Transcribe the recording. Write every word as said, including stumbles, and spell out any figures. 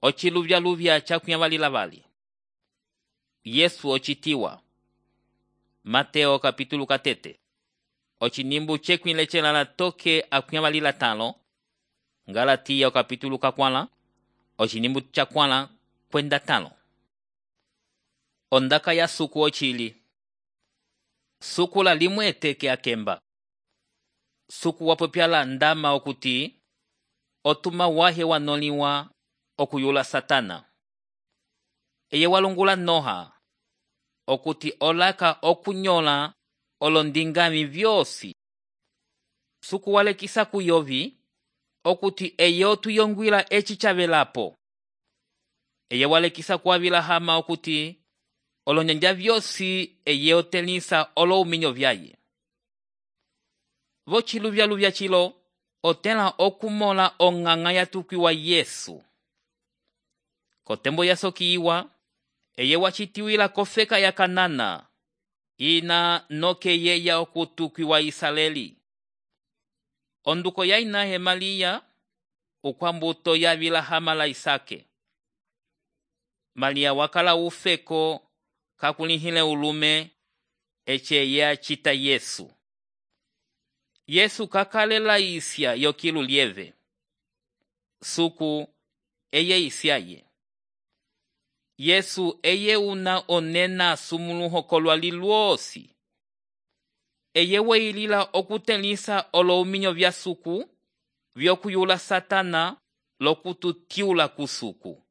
ociluvya-luvya cakwinyavalila vali. Yesu ocitiwa. Mateo kapitulu katete. Ocinimbu cekwile celala toke akwinyavalila talo. Galatia kapitulu kakwala. Ocinimbu cakwala kwenda talo. Ondaka ya suku ocili. Suku la limwe eteke akemba. Suku wapopyala ndama okuti otuma wahe wanoliwa okuyula Satana. Eye walungula Noha okuti olaka okunyola olondingami vyosi. Suku walekisa kuyovi okuti eye otuyongwila eci chavelapo. Eye walekisa kuavila hama okuti olonyanja vyosi eye otelisa olo uminyo vyaye. Vociluvya-luvya cilo otela okumola onganga yatukiwa Yesu. Kotembo yasokiwa eye wacitiwila kofeka ya Kanana ina noke yeya okutukiwa Israeli. Onduko ya inahe Malia ukwambuto ya vila hama la Isake. Malia wakala ufeko kakulihile ulume eche ya chita Yesu. Yesu kakalela isya yokilu lieve. Suku eye isyaye. Yesu eye una onena sumuluho kolwali lwosi. Eye weilila okutelisa olo uminyo vya suku vyokuyula Satana lokututiula kusuku.